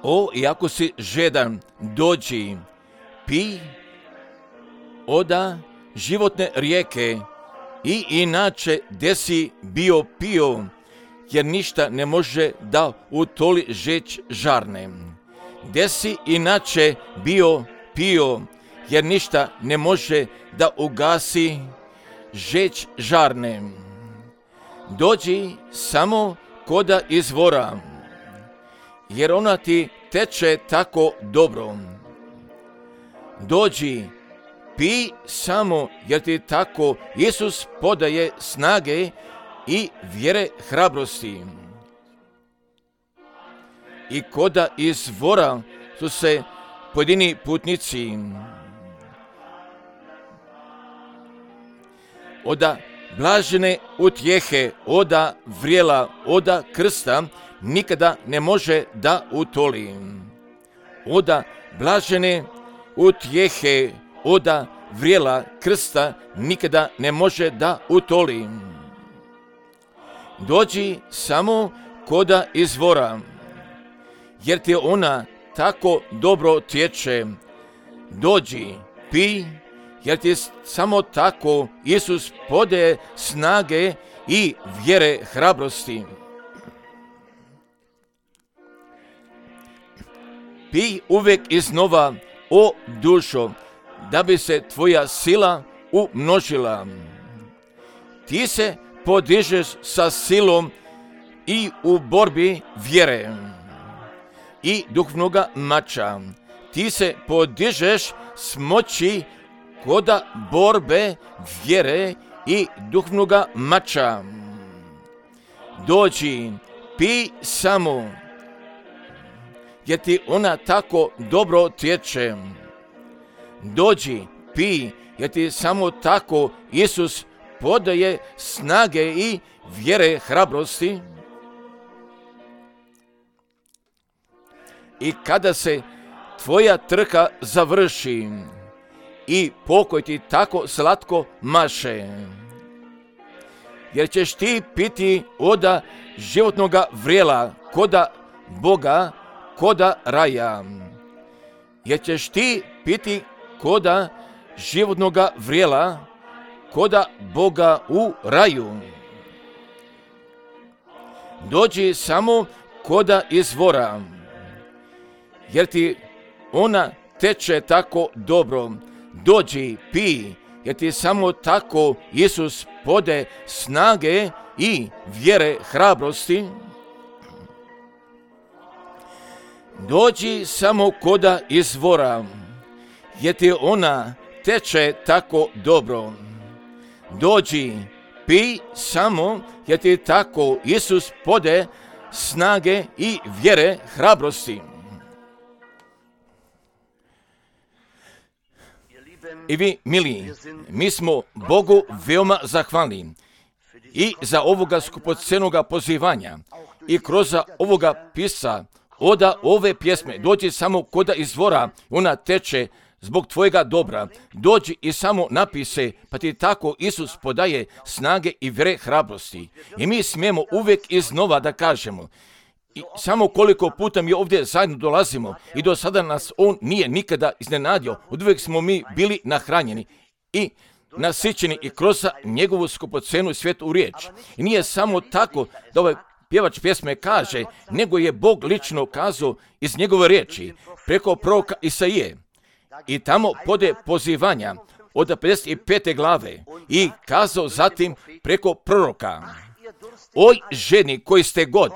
O, iako si žedan, dođi, pi oda životne rijeke i inače gdje si bio pio, jer ništa ne može da utoli žeć žarne. Gdje si inače bio pio, jer ništa ne može da ugasi žeć žarne. Dođi samo koda izvora, jer ona ti teče tako dobro. Dođi, pi samo, jer ti tako Isus podaje snage i vjere hrabrosti. I koda izvora su se pojedini putnici oda blažene utjehe, oda vrijela, oda krsta nikada ne može da utoli. Oda blažene utjehe, oda vrijela krsta nikada ne može da utoli. Dođi samo koda izvora, jer ti ona tako dobro tječe. Dođi, pi, jer ti samo tako Isus podaje snage i vjere hrabrosti. Pi uvijek iznova, o dušo, da bi se tvoja sila umnožila. Ti se podižeš sa silom i u borbi vjere i duhovnoga mača. Ti se podižeš s moći koda borbe vjere i duhovnoga mača. Dođi, pi samo, jer ti ona tako dobro tječe. Dođi, pi, jer ti samo tako Isus podaje snage i vjere hrabrosti. I kada se tvoja trka završi i pokoj ti tako slatko maše, jer ćeš ti piti oda životnoga vrijela, koda Boga, koda raja. Jer ćeš ti piti koda životnoga vrijela, koda Boga u raju. Dođi samo koda izvora, jer ti ona teče tako dobro. Dođi, pi, jer ti samo tako Isus podaje snage i vjere hrabrosti. Dođi samo koda izvora, jer ti ona teče tako dobro. Dođi, pi samo, jer ti tako Isus podaje snage i vjere hrabrosti. I vi, mili, mi smo Bogu veoma zahvalni i za ovoga skupocjenoga pozivanja i kroz ovoga pisa oda ove pjesme. Dođi samo koda izvora, ona teče zbog tvojega dobra. Dođi i samo napise, pa ti tako Isus podaje snage i vjere hrabrosti. I mi smijemo uvijek iznova da kažemo, i samo koliko puta mi ovdje zajedno dolazimo i do sada nas on nije nikada iznenadio, uvijek smo mi bili nahranjeni i nasićeni i kroz njegovu skupocenu i svetu riječ. I nije samo tako da ovaj pjevač pjesme kaže, nego je Bog lično kazao iz njegove riječi preko proroka Isaije. I tamo pode pozivanja od 55. glave i kazao zatim preko proroka, oj ženi koji ste god,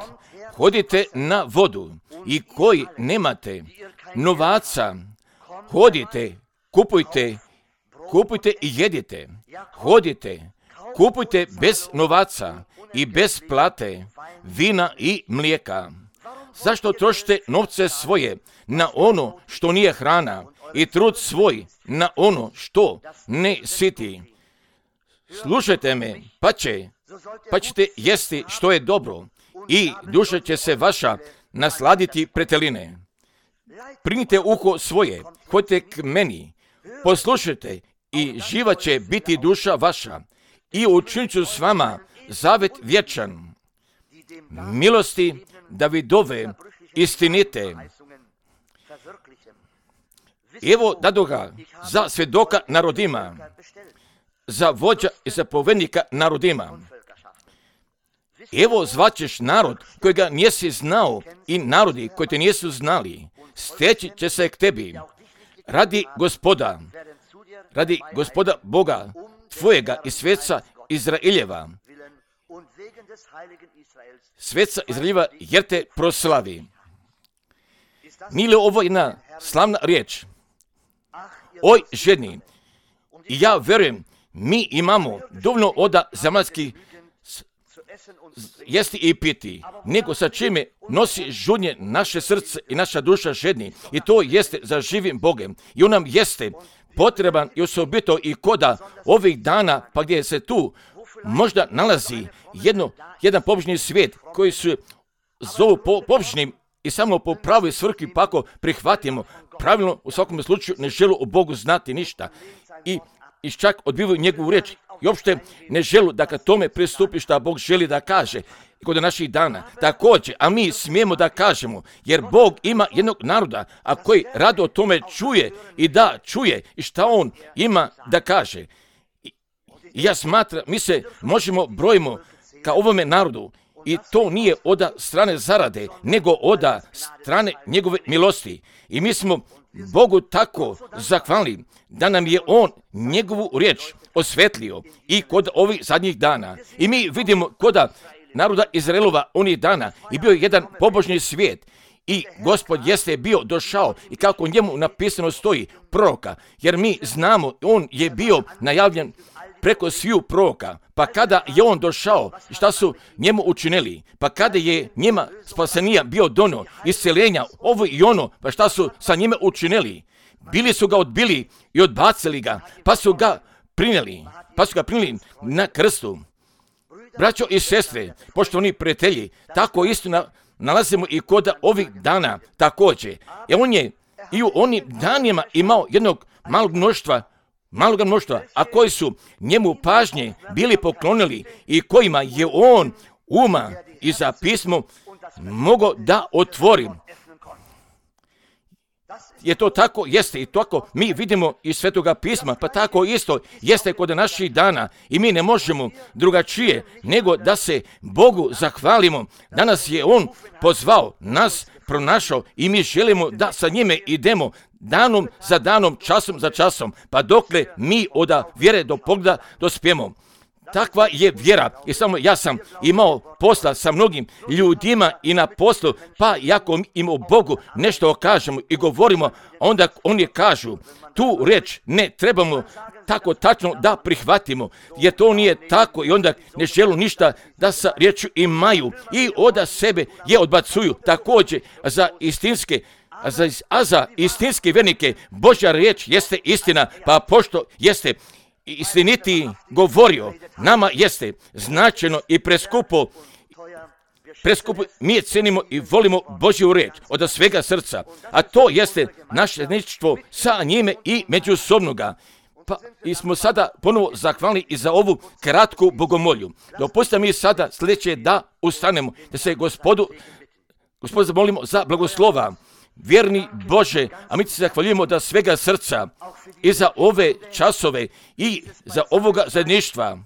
hodite na vodu i koji nemate novaca, hodite, kupujte i jedite. Hodite, kupujte bez novaca i bez plate, vina i mlijeka. Zašto trošite novce svoje na ono što nije hrana i trud svoj na ono što ne siti? Slušajte me, pa ćete jesti što je dobro i duša će se vaša nasladiti preteline. Primite uho svoje, hodite k meni, poslušajte i živa će biti duša vaša i učinit ću s vama zavet vječan. Milosti Davidove istinite Evo dadoga za svedoka narodima, za vođa i zapovednika narodima. Evo zvaćeš narod kojega nisi znao i narodi koji te nisu znali. Steći će se k tebi radi Gospoda Boga tvojega i sveca Izraeljeva. Sveca Izraeljeva jer te proslavi. Mile, ovo je jedna slavna riječ. Oj, ženi, i ja verujem, mi imamo dovoljno oda zemaljskih jesti i piti, nego sa čime nosi žudnje naše srce i naša duša žedni, i to jeste za živim Bogem. I on nam jeste potreban i osobito i koda ovih dana, pa gdje se tu možda nalazi jedan pobožni svijet koji se zovu pobožnim i samo po pravoj svrhi, pa ako prihvatimo pravilno, u svakom slučaju ne želu o Bogu znati ništa i čak odbivaju njegovu riječ i uopšte ne želu da ka tome pristupi šta Bog želi da kaže kod naših dana. Također, a mi smijemo da kažemo, jer Bog ima jednog naroda, a koji rado o tome čuje i da čuje i šta on ima da kaže. I ja smatram, mi se možemo brojimo ka ovome narodu, i to nije od strane zarade, nego od strane njegove milosti. I mi smo Bogu tako zahvalni da nam je on njegovu riječ osvetlio i kod ovih zadnjih dana. I mi vidimo kod naroda Izraelova onih dana i bio je jedan pobožni svijet. I Gospod jeste bio došao i kako njemu napisano stoji proroka, jer mi znamo, on je bio najavljen preko sviju proroka, pa kada je on došao, šta su njemu učinili, pa kada je njima spasenija bio dono, isceljenja, ovo i ono, pa šta su sa njime učinili, bili su ga odbili i odbacili ga, pa su ga prinijeli na krstu. Braćo i sestre, poštovani prijatelji, tako isto nalazimo i kod ovih dana također. On je i u onim danima imao jednog malog mnoštva, a koji su njemu pažnje bili poklonili i kojima je on uma i za pismo mogao da otvori. Je to tako? Jeste i tako mi vidimo iz Svetoga pisma, pa tako isto jeste kod naših dana i mi ne možemo drugačije nego da se Bogu zahvalimo. Danas je on pozvao, nas pronašao i mi želimo da sa njime idemo danom za danom, časom za časom, pa dokle mi od vjere do pogleda dospijemo. Takva je vjera i samo ja sam imao posla sa mnogim ljudima i na poslu, pa jako im o Bogu nešto kažemo i govorimo, onda oni kažu, tu riječ ne trebamo tako tačno da prihvatimo, jer to nije tako i onda ne želu ništa da sa riječju imaju i od sebe je odbacuju. Također za istinske vjernike Božja riječ jeste istina, pa pošto jeste istiniti govorio, nama jeste značajno i preskupo, mi je cenimo i volimo Božju riječ od svega srca, a to jeste naše zajedništvo sa njime i međusobnoga. Pa i smo sada ponovo zahvalni i za ovu kratku bogomolju. Dopustite mi sada sljedeće da ustanemo, da se Gospodu zamolimo za blagoslova. Vjerni Bože, a mi se zahvaljujemo da svega srca i za ove časove i za ovoga zajedništva,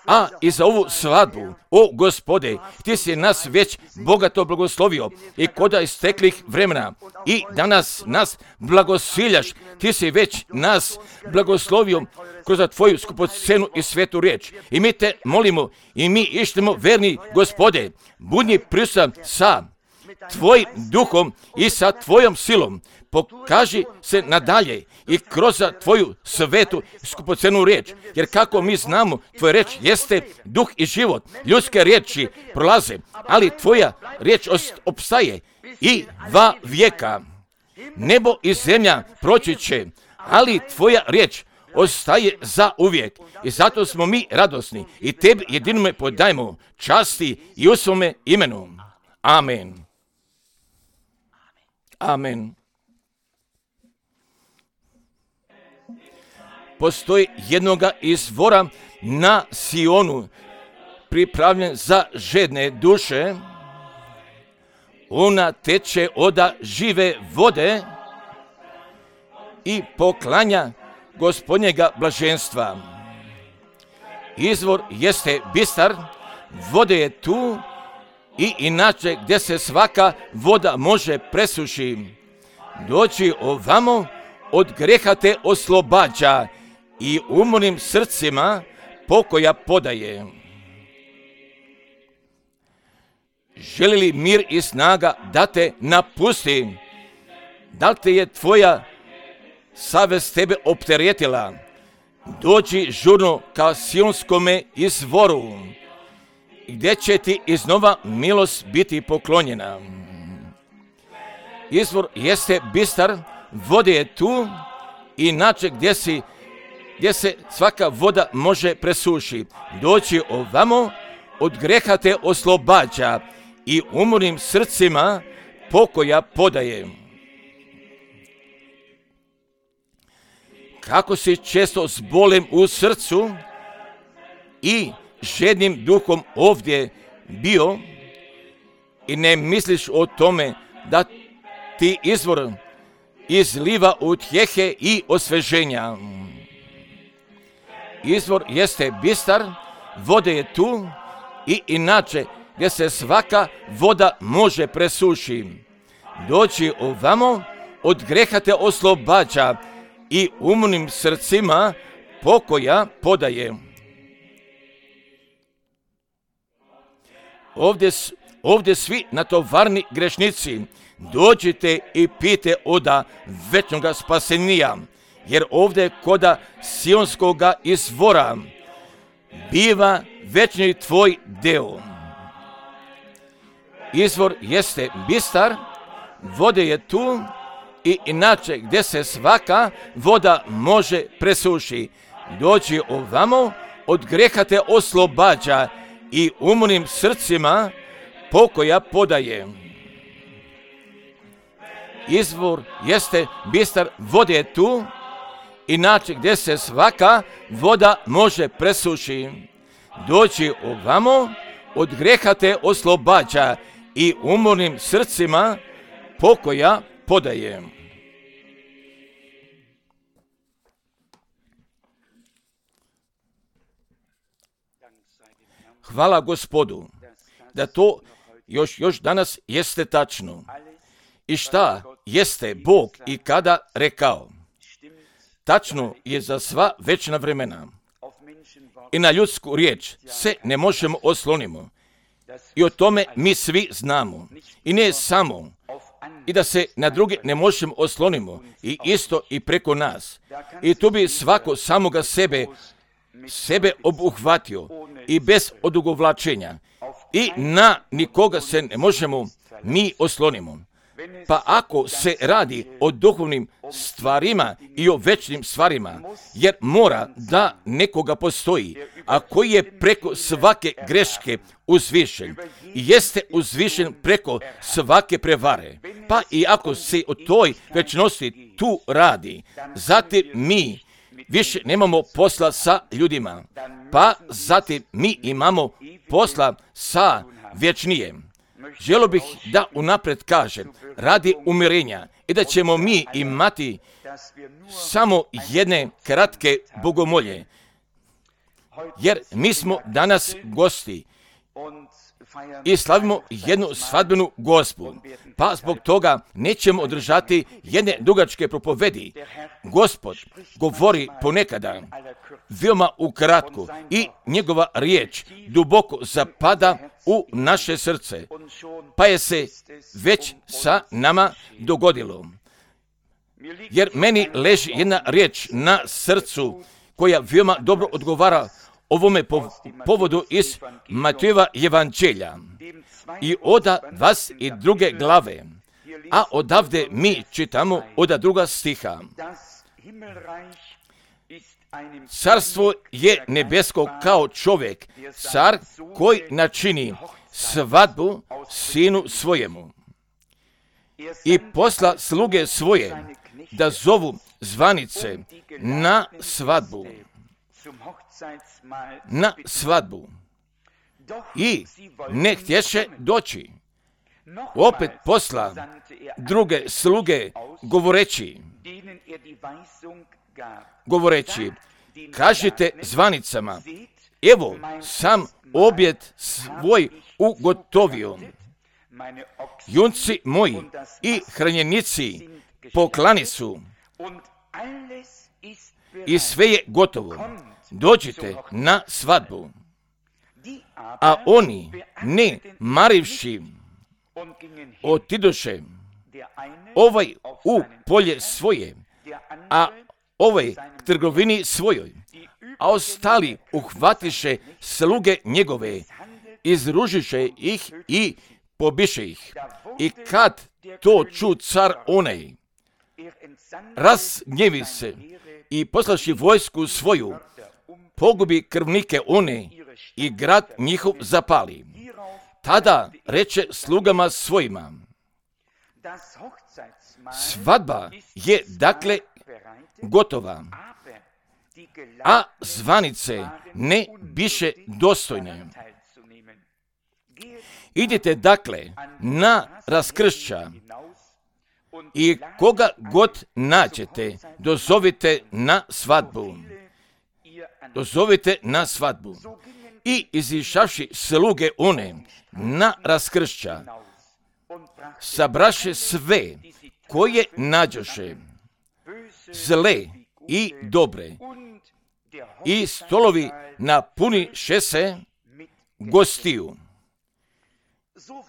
a i za ovu svadbu. O Gospode, ti si nas već bogato blagoslovio i koda isteklih vremena i danas nas blagosiljaš, ti si već nas blagoslovio kroz tvoju skupocenu i svetu riječ. I mi te molimo i mi ištemo, verni Gospode, budni prisutan sa tvojim duhom i sa tvojom silom. Pokaži se nadalje i kroz tvoju svetu skupocenu riječ, jer kako mi znamo, tvoja riječ jeste duh i život. Ljudske riječi prolaze, ali tvoja riječ opstaje i va vijeka. Nebo i zemlja proći će, ali tvoja riječ ostaje za uvijek. I zato smo mi radosni i tebi jedinome podajemo časti i u svome imenu. Amen. Amen. Postoji jednoga izvora na Sionu, pripravljen za žedne duše. Ona teče od žive vode i poklanja Gospodnjega blaženstva. Izvor jeste bistar, vode je tu i inače gdje se svaka voda može presuši. Doći ovamo, od greha te oslobađa i umornim srcima pokoja podaje. Želi li mir i snaga da te napusti? Da li te je tvoja savest tebe opteretila? Dođi žurno ka Sionskome izvoru, gdje će ti iznova milost biti poklonjena. Izvor jeste bistar, vode je tu, inače gdje se svaka voda može presuši. Doći ovamo, od greha te oslobađa i umornim srcima pokoja podaje. Kako si često s bolem u srcu i žednim duhom ovdje bio i ne misliš o tome da ti izvor izliva utjehe i osveženja. Izvor jeste bistar, vode je tu i inače gdje se svaka voda može presuši. Doći ovamo, od greha te oslobađa i umornim srcima pokoja podaje. Ovdje svi natovarni grešnici, dođite i pijte oda večnoga spasenija, jer ovdje koda Sionskoga izvora biva večni tvoj deo. Izvor jeste bistar, vode je tu i inače gdje se svaka voda može presuši. Doći ovamo, od greha te oslobađa i umornim srcima pokoja podaje. Izvor jeste bistar, vode je tu, inače gdje se svaka voda može presuši. Doći ovamo, od greha te oslobađa i umornim srcima pokoja podaje. Hvala Gospodu da to još danas jeste tačno. I šta jeste Bog i kada rekao? Tačno je za sva večna vremena. I na ljudsku riječ se ne možemo oslonimo. I o tome mi svi znamo. I ne samo. I da se na druge ne možemo oslonimo. I isto i preko nas. I tu bi svako samoga sebe obuhvatio. I bez odugovlačenja. I na nikoga se ne možemo mi oslonimo. Pa ako se radi o duhovnim stvarima i o večnim stvarima, jer mora da nekoga postoji, a koji je preko svake greške uzvišen i jeste uzvišen preko svake prevare. Pa i ako se o toj večnosti tu radi, zatim mi više nemamo posla sa ljudima, pa zatim mi imamo posla sa vječnijem. Želio bih da unaprijed kažem, radi umirenja i da ćemo mi imati samo jedne kratke bogomolje, jer mi smo danas gosti i slavimo jednu svadbenu gospu, pa zbog toga nećemo održati jedne dugačke propovedi. Gospod govori ponekada veoma ukratko i njegova riječ duboko zapada u naše srce, pa je se već sa nama dogodilo. Jer meni leži jedna riječ na srcu koja veoma dobro odgovara ovome povodu iz Matejeva evanđelja i oda 22. glave, a odavde mi čitamo oda 2. stiha. Carstvo je nebesko kao čovjek, car koji načini svadbu sinu svojemu i posla sluge svoje da zovu zvanice na svadbu. I ne htješe doći. Opet posla druge sluge govoreći, govoreći, kažite zvanicama, evo sam objed svoj ugotovio. Junci moji i hranjenici poklani su i sve je gotovo. Dođite na svadbu. A oni, ne marivši, otidoše, ovaj u polje svoje, a ovaj k trgovini svojoj, a ostali uhvatiše sluge njegove, izružiše ih i pobiše ih. I kad to ču car onaj, razgnjevi se i poslaši vojsku svoju, pogubi krvnike one i grad njihov zapali. Tada reče slugama svojima, svadba je dakle gotova, a zvanice ne biše dostojne. Idite dakle na raskršća i koga god nađete, dozovite na svadbu. Dozovite na svadbu. I izišavši sluge one na raskršća, sabraše sve koje nađoše, zle i dobre, i stolovi napuniše se gostiju.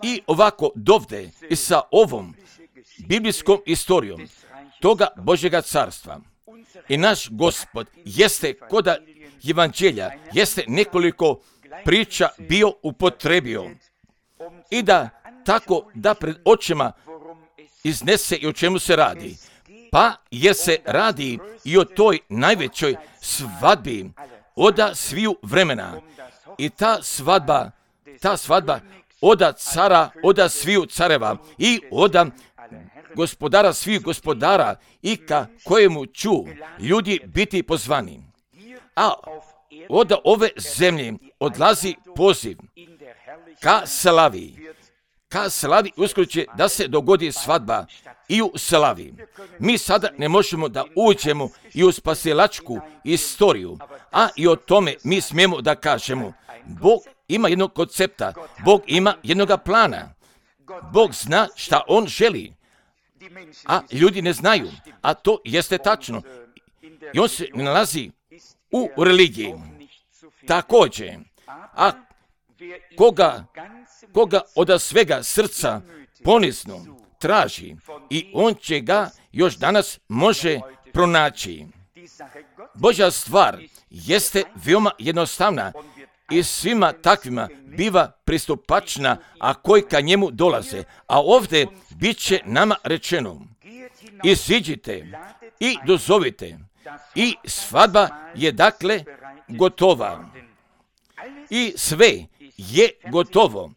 I ovako dovde i sa ovom biblijskom istorijom toga Božjega carstva. I naš Gospod jeste koda evanđelja, jeste nekoliko priča bio upotrebio i da tako da pred očima iznese i o čemu se radi. Pa jer se radi i o toj najvećoj svadbi oda sviju vremena. I ta svadba oda cara, oda sviju careva i oda gospodara svih gospodara i ka kojemu ću ljudi biti pozvani. A od ove zemlje odlazi poziv ka slavi uskoro će da se dogodi svadba i u slavi. Mi sada ne možemo da uđemo i u spasilačku istoriju, a i o tome mi smijemo da kažemo. Bog ima jednog koncepta, Bog ima jednoga plana. Bog zna šta on želi, a ljudi ne znaju, a to jeste tačno. I on se ne nalazi u religiji. Također, a koga od svega srca ponizno traži i on će ga još danas može pronaći. Božja stvar jeste veoma jednostavna i svima takvima biva pristupačna, a koji ka njemu dolaze. A ovdje bit će nama rečeno, iziđite i dozovite. I svadba je dakle gotova. I sve je gotovo.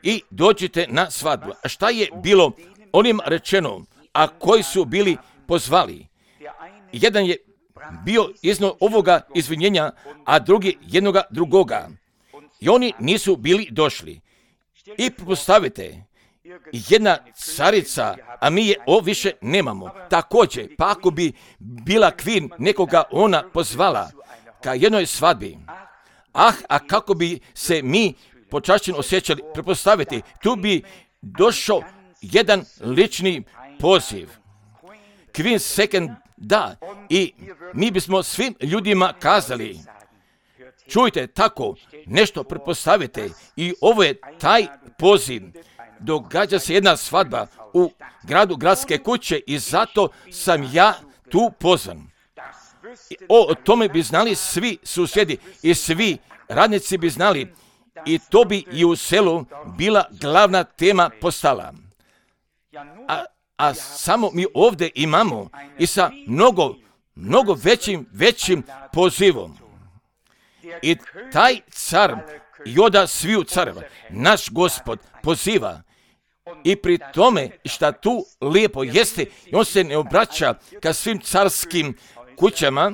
I dođite na svadbu. A šta je bilo onim rečeno, a koji su bili pozvali? Jedan je bio iznad ovoga izvinjenja, a drugi jednoga drugoga. I oni nisu bili došli. I postavite, jedna carica, a mi je više nemamo. Također, pa ako bi bila kvin nekoga ona pozvala ka jednoj svadbi, a kako bi se mi počašćeno osjećali, prepostaviti, tu bi došao jedan lični poziv. Kvin second, da, i mi bismo svim ljudima kazali, čujte, tako nešto prepostavite i ovo je taj poziv. Događa se jedna svadba u gradu Gradske kuće i zato sam ja tu pozvan. O tome bi znali svi susjedi i svi radnici bi znali i to bi i u selu bila glavna tema postala. A samo mi ovdje imamo i sa mnogo većim pozivom. I taj car joda sviju careva, naš Gospod poziva i pri tome šta tu lijepo jeste, on se ne obraća ka svim carskim kućama,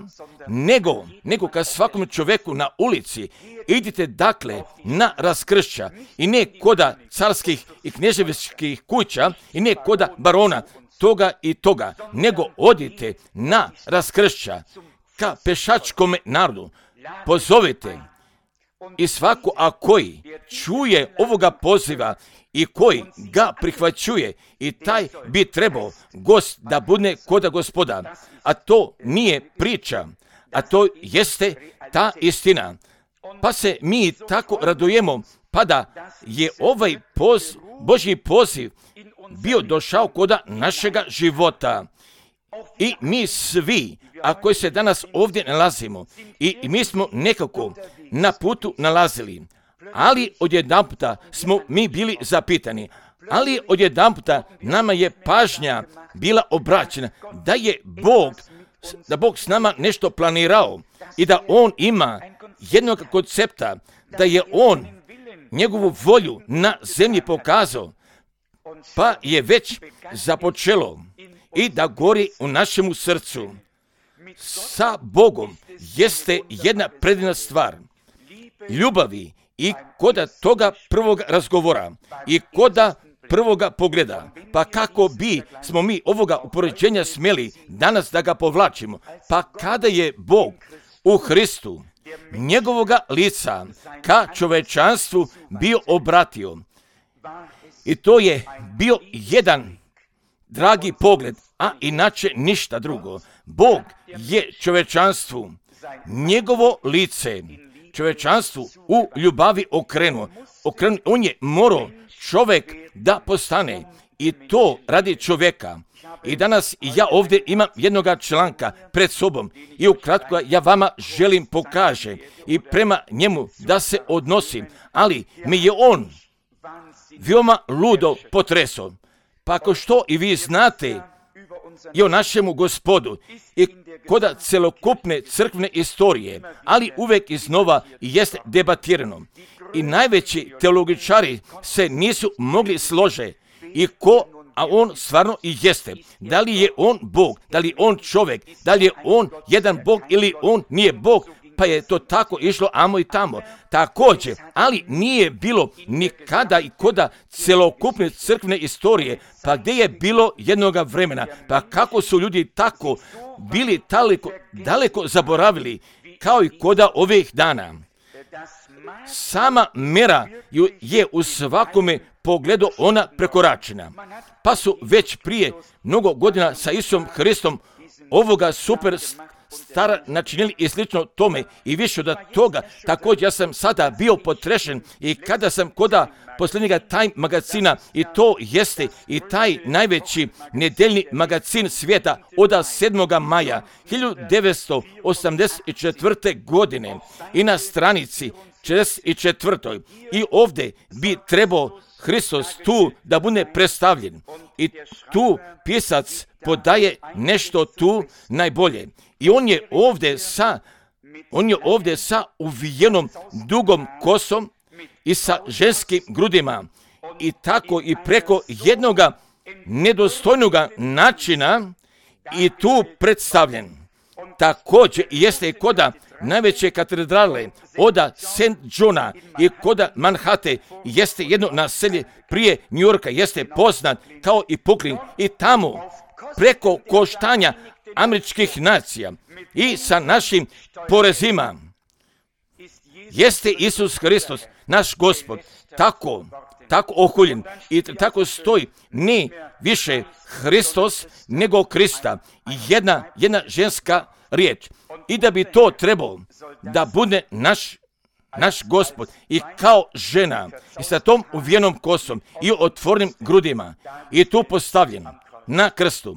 nego ka svakom čovjeku na ulici. Idite dakle na raskršća i ne koda carskih i knježevičkih kuća i ne koda barona. toga i toga, nego odite na raskršća ka pešačkom narodu, pozovite i svako a koji čuje ovoga poziva i koji ga prihvaćuje, i taj bi trebao gost da bude koda Gospoda, a to nije priča, a to jeste ta istina. Pa se mi tako radujemo, pa da je ovaj Božji poziv bio došao koda našega života. I mi svi, a koji se danas ovdje nalazimo, i mi smo nekako na putu nalazili, ali odjedanputa smo mi bili zapitani, ali odjedanputa nama je pažnja bila obraćena da je Bog s nama nešto planirao i da On ima jednog koncepta, da je On njegovu volju na zemlji pokazao, pa je već započelo i da gori u našemu srcu. Sa Bogom jeste jedna predivna stvar ljubavi i koda toga prvog razgovora i koda prvoga pogleda. Pa kako bi smo mi ovoga upoređenja smjeli danas da ga povlačimo? Pa kada je Bog u Hristu njegovoga lica ka čovečanstvu bio obratio, i to je bio jedan dragi pogled, a inače ništa drugo. Bog je čovečanstvu njegovo lice čovečanstvu u ljubavi okrenuo. On je morao čovjek da postane, i to radi čovjeka. I danas ja ovdje imam jednoga članka pred sobom i ukratko ja vama želim pokaže i prema njemu da se odnosim, ali mi je on veoma ludo potresao. Pa ako što i vi znate i o našemu Gospodu i koda celokupne crkvene istorije, ali uvek iznova jeste debatirano. I najveći teologičari se nisu mogli složiti i a on stvarno i jeste. Da li je on Bog, da li je on čovjek, da li je on jedan Bog ili on nije Bog, pa je to tako išlo amo i tamo. Također, ali nije bilo nikada i koda celokupne crkvene istorije, pa gdje je bilo jednoga vremena, pa kako su ljudi tako bili daleko zaboravili, kao i koda ovih dana. Sama mera je u svakome pogledu ona prekoračena. Pa su već prije mnogo godina sa Isusom Hristom ovoga super stara načinili i slično tome i više od toga. Također ja sam sada bio potrešen i kada sam koda posljednjega Time magazina, i to jeste i taj najveći nedeljni magazin svijeta od 7. maja 1984. godine i na stranici 44. I ovdje bi trebao Hristos tu da bude predstavljen. I tu pisac podaje nešto tu najbolje. I on je ovdje sa uvijenom dugom kosom i sa ženskim grudima. I tako i preko jednoga nedostojnoga načina i tu predstavljen. Također jeste i koda najveće katedrale oda St. Johna i koda Manhattan jeste jedno naselje prije New Yorka, jeste poznat kao i Brooklyn, i tamo preko koštanja američkih nacija i sa našim porezima jeste Isus Hristos, naš Gospod, tako ohuljen i tako stoji ne više Hristos nego Krista, jedna ženska riječ. I da bi to trebalo da bude naš Gospod i kao žena i sa tom uvijenom kosom i otvornim grudima i tu postavljen na krstu.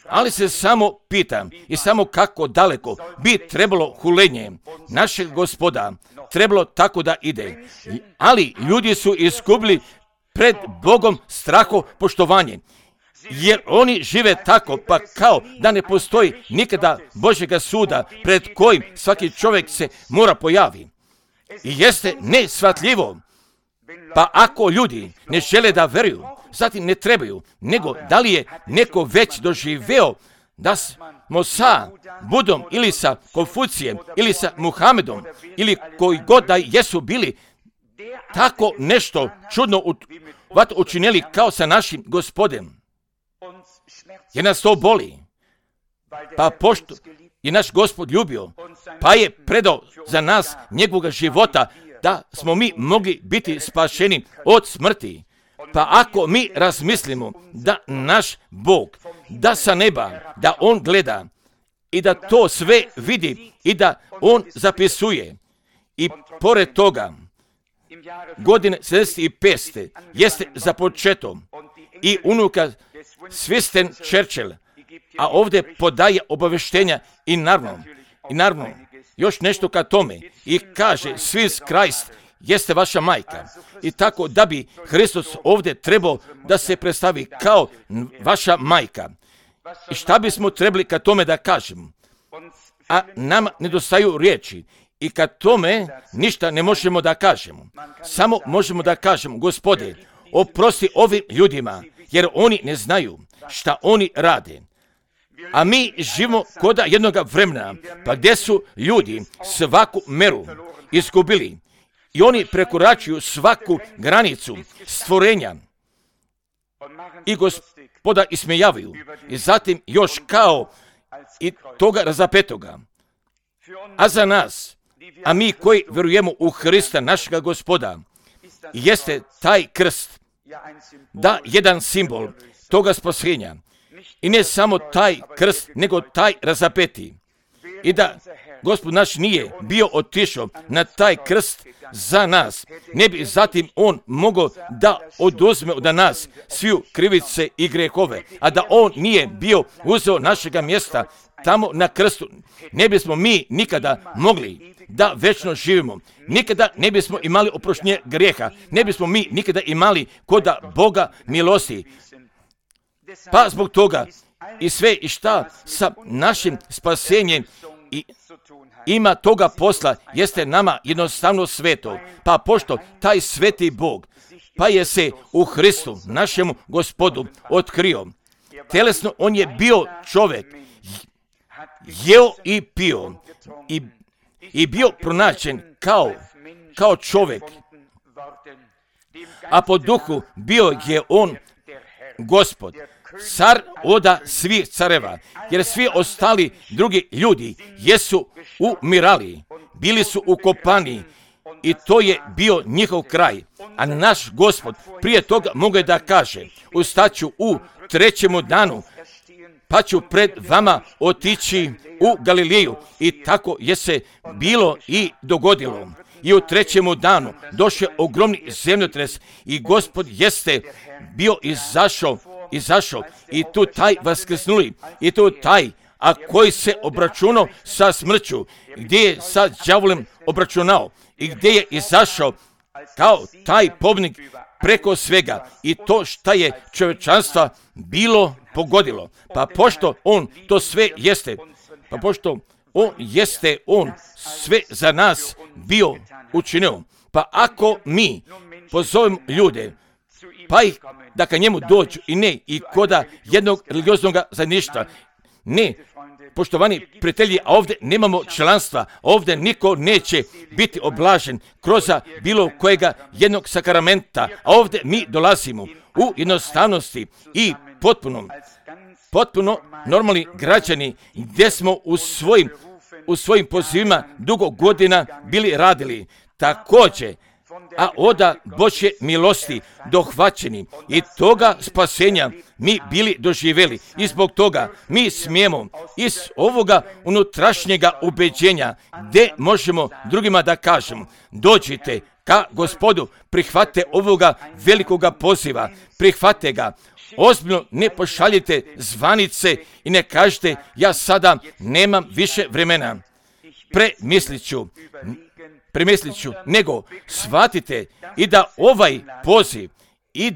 Ali se samo pitam i samo kako daleko bi trebalo hulenje našeg Gospoda trebalo tako da ide. Ali ljudi su izgubili pred Bogom straho poštovanje. Jer oni žive tako, pa kao da ne postoji nikada Božjega suda pred kojim svaki čovjek se mora pojavi. I jeste neshvatljivo. Pa ako ljudi ne žele da veruju, zatim ne trebaju, nego da li je neko već doživeo da smo sa Budom ili sa Konfucijem ili sa Muhamedom ili koji god da jesu bili tako nešto čudno učinili kao sa našim Gospodem. jer nas to boli. Pa pošto je naš Gospod ljubio, pa je predao za nas njegovog života, da smo mi mogli biti spašeni od smrti. Pa ako mi razmislimo da naš Bog, da sa neba, da On gleda i da to sve vidi i da On zapisuje, i pored toga, godine 75. jeste započeto i unuka Winston Churchill, a ovdje podaje obaveštenja i naravno, još nešto ka tome i kaže Swiss Christ jeste vaša majka. I tako da bi Hristos ovdje trebao da se predstavi kao vaša majka. I šta bismo trebali ka tome da kažemo? A nama nedostaju riječi. I kad tome ništa ne možemo da kažemo. Samo možemo da kažemo, Gospode, oprosti ovim ljudima, jer oni ne znaju šta oni rade. A mi živimo koda jednoga vremena, pa gdje su ljudi svaku meru izgubili. I oni prekoračuju svaku granicu stvorenja. I Gospoda ismejavaju. I zatim još kao i toga razapetoga. A za nas, a mi koji vjerujemo u Hrista, našega Gospoda, jeste taj krst, da jedan simbol toga spasenja. I ne samo taj krst, nego taj razapeti. I da Gospod naš nije bio otišao na taj krst za nas, ne bi zatim On mogao da oduzme od nas sviju krivice i grehove, a da On nije bio uzeo našega mjesta tamo na krstu, ne bismo mi nikada mogli da večno živimo. Nikada ne bismo imali oproštenje grijeha, ne bismo mi nikada imali koda Boga milosti. Pa zbog toga i sve i šta sa našim spasenjem i ima toga posla, jeste nama jednostavno sveto. Pa pošto taj sveti Bog, pa je se u Hristu, našemu Gospodu, otkrio. Telesno on je bio čovjek, jeo i pio i bio pronađen kao čovjek. A po duhu bio je on Gospod, car oda svih careva, jer svi ostali drugi ljudi jesu umirali, bili su ukopani i to je bio njihov kraj. A naš Gospod prije toga mogu da kaže, ustaću u 3. danu, pa ću pred vama otići u Galileju. I tako je se bilo i dogodilo. I u 3. danu došao ogromni zemljotres i Gospod jeste bio izašao i tu taj vaskrsnuli i tu taj, a koji se obračunao sa smrću, gdje je sa đavolem obračunao i gdje je izašao kao taj pobjednik preko svega i to šta je čovječanstva bilo pogodilo. Pa pošto on to sve jeste, pa pošto on sve za nas bio učinio, pa ako mi pozovemo ljude, pa ih da ka njemu dođu i ne i koda jednog religioznog zajedništva, ne, poštovani prijatelji, a ovdje nemamo članstva, ovdje niko neće biti oblažen kroz bilo kojega jednog sakramenta, a ovdje mi dolazimo u jednostavnosti i potpuno normalni građani gdje smo u svojim pozivima dugo godina bili radili. Također, a oda Božje milosti dohvaćeni i toga spasenja mi bili doživjeli i zbog toga mi smijemo iz ovoga unutrašnjega ubeđenja gdje možemo drugima da kažemo dođite ka Gospodu, prihvate ovoga velikoga poziva, prihvate ga, ozbiljno ne pošaljite zvanice i ne kažete ja sada nemam više vremena, premislit ću, nego shvatite i da ovaj poziv i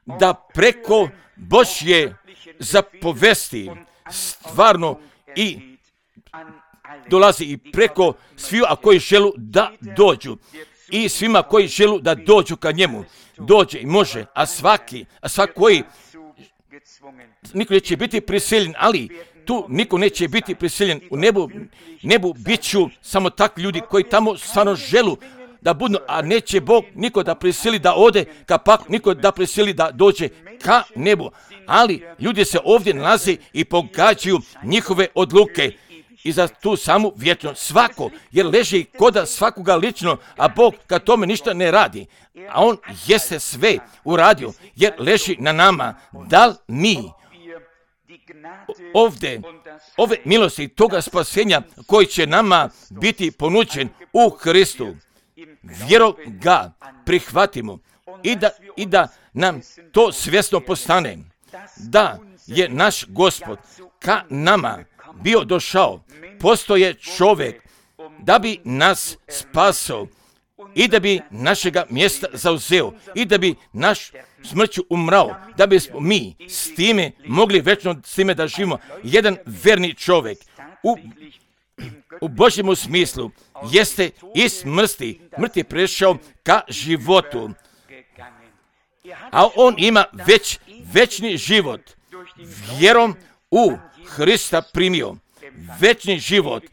da preko Božje zapovesti stvarno i dolazi i preko sviju, a koji želu da dođu i svima koji želu da dođu ka njemu, dođe i može, a svaki koji niko neće biti prisiljen, ali tu niko neće biti prisiljen. U nebu bit ću samo takvi ljudi koji tamo stvarno želu da budu, a neće Bog niko da prisili da ode, kapak niko da prisili da dođe ka nebu. Ali ljudi se ovdje nalaze i pogađaju njihove odluke i za tu samu vječnost. Svako, jer leži koda svakoga lično, a Bog kad tome ništa ne radi. A On jeste sve uradio, jer leži na nama. Da li mi ovdje, ove milosti toga spasenja koji će nama biti ponuđen u Hristu, vjerom ga prihvatimo i da nam to svjesno postane, da je naš Gospod ka nama bio došao, postoje čovjek da bi nas spasao i da bi našega mjesta zauzeo i da bi naš smrću umrao, da bismo mi s time mogli večno s time da živimo. Jedan verni čovjek u Božjem smislu jeste iz smrti prešao ka životu, a on ima večni život, vjerom u Hrista primio.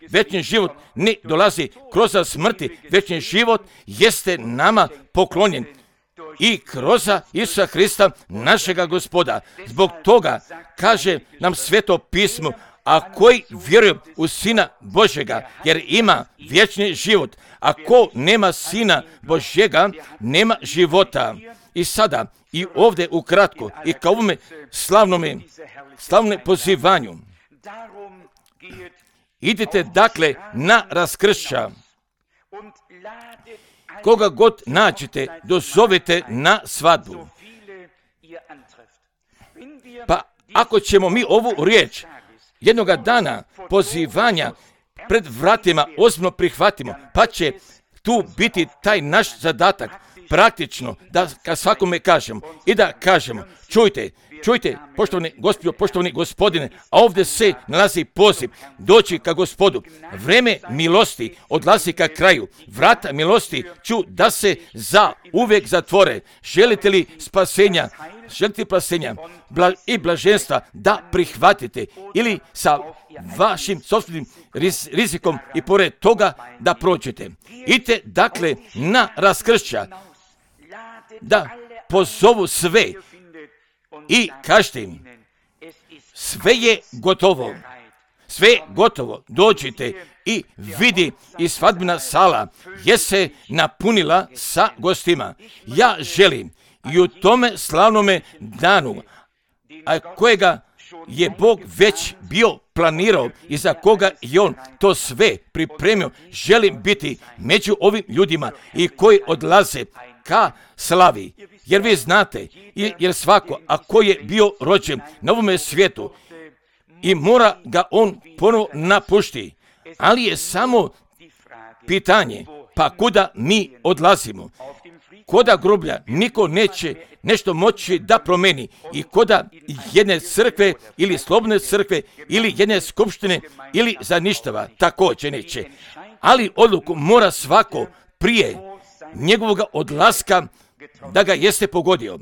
Večni život ne dolazi kroz smrti, večni život jeste nama poklonjen i kroz Isusa Hrista, našega Gospoda. Zbog toga kaže nam Sveto pismo, a koji vjeruje u Sina Božjega, jer ima vječni život. Ako nema Sina Božjega, nema života. I sada, i ovdje ukratko, i kao ovome slavnome pozivanju, idite dakle na raskršća. Koga god nađete, dozovite na svadbu. Pa ako ćemo mi ovu riječ jednoga dana pozivanja pred vratima ozbiljno prihvatimo, pa će tu biti taj naš zadatak praktično da kad svakome kažemo i da kažemo, čujte, poštovani Gospodo, poštovani Gospodine, a ovdje se nalazi poziv doći ka Gospodu. Vreme milosti odlazi ka kraju. Vrata milosti ću da se za uvijek zatvore. Želite li spasenja? Želite spasenja i blaženstva da prihvatite ili sa vašim sobstvenim rizikom i pored toga da prođete. Idite dakle na raskršća, da pozovu sve i kažete im, sve je gotovo, dođite i vidi i svadbena sala je se napunila sa gostima. Ja želim i u tome slavnome danu, a kojega je Bog već bio planirao i za koga je On to sve pripremio, želim biti među ovim ljudima i koji odlaze ka slavi. Jer vi znate, jer svako, ako je bio rođen na ovome svijetu i mora ga on ponovo napušti, ali je samo pitanje, pa kuda mi odlazimo? Koda groblja niko neće nešto moći da promeni i koda jedne crkve ili slobodne crkve ili jedne skupštine ili za ništava također neće. Ali odluku mora svako prije njegovog odlaska da ga jeste pogodio.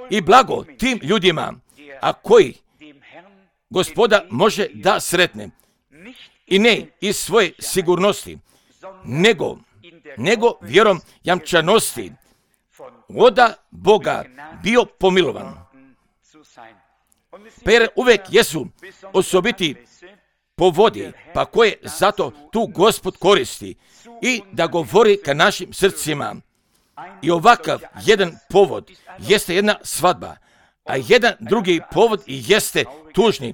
I blago tim ljudima, a koji Gospoda može da sretne. I ne iz svoje sigurnosti, nego vjerom jamčanosti oda Boga bio pomilovan. Pa jer uvijek jesu osobiti povodi, pa koje zato tu Gospod koristi i da govori ka našim srcima. I ovakav jedan povod jeste jedna svadba, a jedan drugi povod jeste tužni,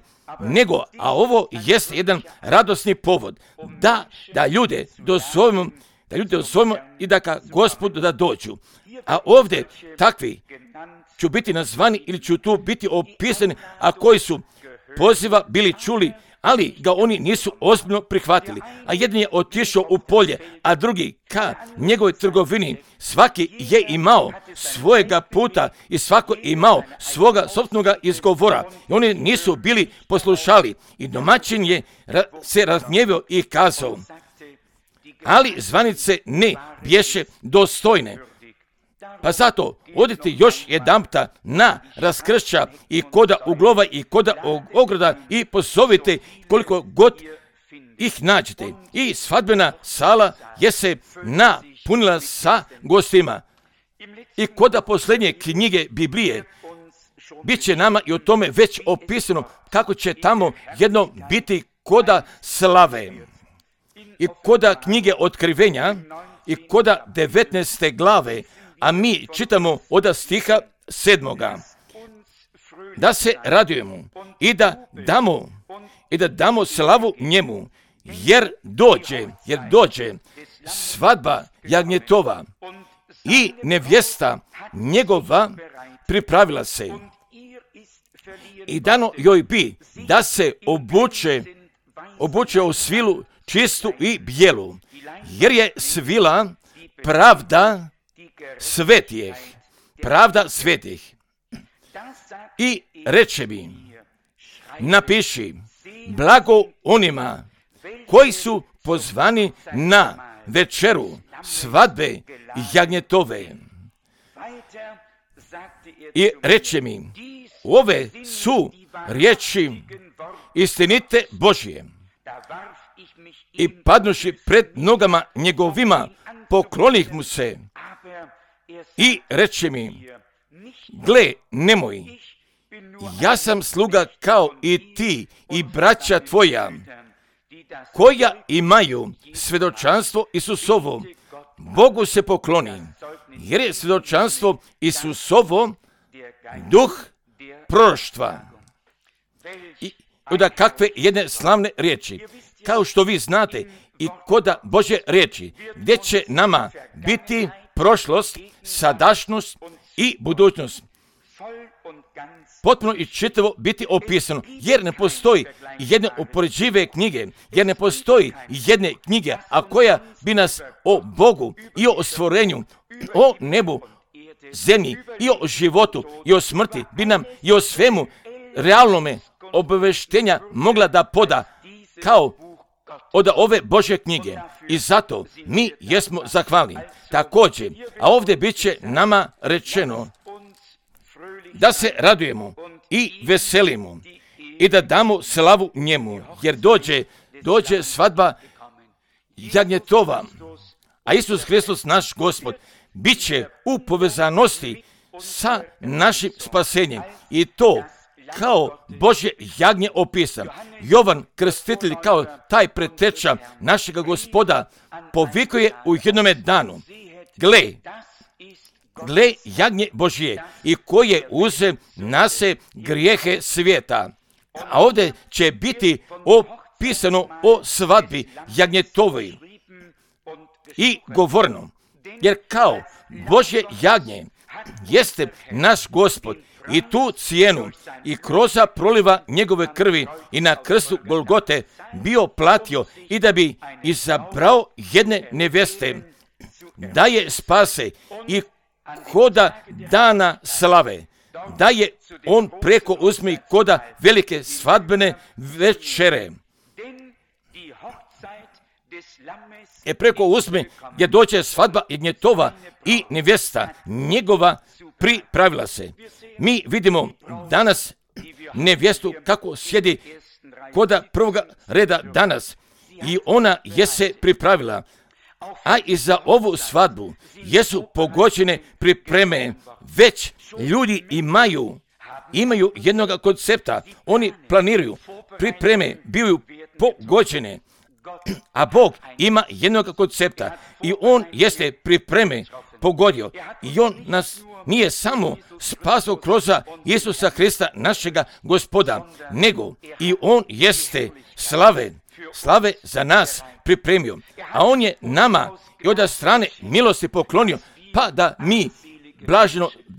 a ovo jeste jedan radosni povod, da ljude dozovemo i da ka Gospodu da dođu. A ovdje takvi ću biti nazvani ili ću tu biti opisani, a koji su poziva bili čuli, ali ga oni nisu ozbiljno prihvatili. A jedan je otišao u polje, a drugi ka njegovoj trgovini. Svaki je imao svojega puta i svako imao svoga sopstvenoga izgovora. I oni nisu bili poslušali. I domaćin je se razgnjevio i kazao, ali zvanice ne bješe dostojne. Pa zato odite još jedanputa na raskršća i koda uglova i koda ogroda i pozovite koliko god ih nađete. I svadbena sala je se punila sa gostima. I kod posljednje knjige Biblije bit će nama i o tome već opisano kako će tamo jedno biti koda slave. I koda knjige Otkrivenja i koda 19. glave, a mi čitamo od stiha 7. Da se radujemo i da damo slavu njemu, jer dođe svadba jagnjetova i nevjesta njegova pripravila se. I dano joj bi da se obuče u svilu čistu i bijelu, jer je svila pravda svetih. I reče mi, napiši, blago onima koji su pozvani na večeru svadbe jagnjetove. I reče mi, ove su riječi istinite Božje. I padnuši pred nogama njegovima, poklonih mu se. I reče mi, gle, nemoj, ja sam sluga kao i ti i braća tvoja, koja imaju svjedočanstvo Isusovo, Bogu se pokloni, jer je svjedočanstvo Isusovo duh proroštva. I da kakve jedne slavne riječi, kao što vi znate, i koda Božje riječi, gdje će nama biti prošlost, sadašnjost i budućnost. Potpuno i čitavo biti opisano, jer ne postoji jedne upoređive knjige, jer ne postoji jedne knjige, a koja bi nas o Bogu i o stvorenju, o nebu, zemlji i o životu i o smrti, bi nam i o svemu realnome obaveštenja mogla da poda kao od ove Božje knjige. I zato mi jesmo zahvalni. Također, a ovdje bit će nama rečeno da se radujemo i veselimo i da damo slavu njemu, jer dođe svadba jagnjetova, a Isus Hristos naš Gospod bit će u povezanosti sa našim spasenjem i to kao Božje jagnje opisan. Jovan Krstitelj kao taj preteča našega Gospoda povikuje u jednome danu, gle jagnje Božje i koje uze nase grijehe svijeta. A ovdje će biti opisano o svadbi jagnjetovoj i govorno, jer kao Božje jagnje jeste naš Gospod i tu cijenu i kroz proliva njegove krvi i na krstu Golgote bio platio i da bi izabrao jedne nevjeste, da je spase i koda dana slave, da je on preko uzme i koda velike svadbene večere. Preko uzme gdje dođe svadba jagnjetova i nevjesta njegova pripravila se. Mi vidimo danas nevjestu kako sjedi koda prvoga reda danas i ona je se pripravila. A i za ovu svadbu jesu pogođene pripreme. Već ljudi imaju jednog koncepta. Oni planiraju, pripreme bivaju pogođene. A Bog ima jednog koncepta i on jeste pripreme pogodio. I on nas nije samo spasao kroz Isusa Hrista našega Gospoda, nego i on jeste slave za nas pripremio. A on je nama i od strane milosti poklonio, pa da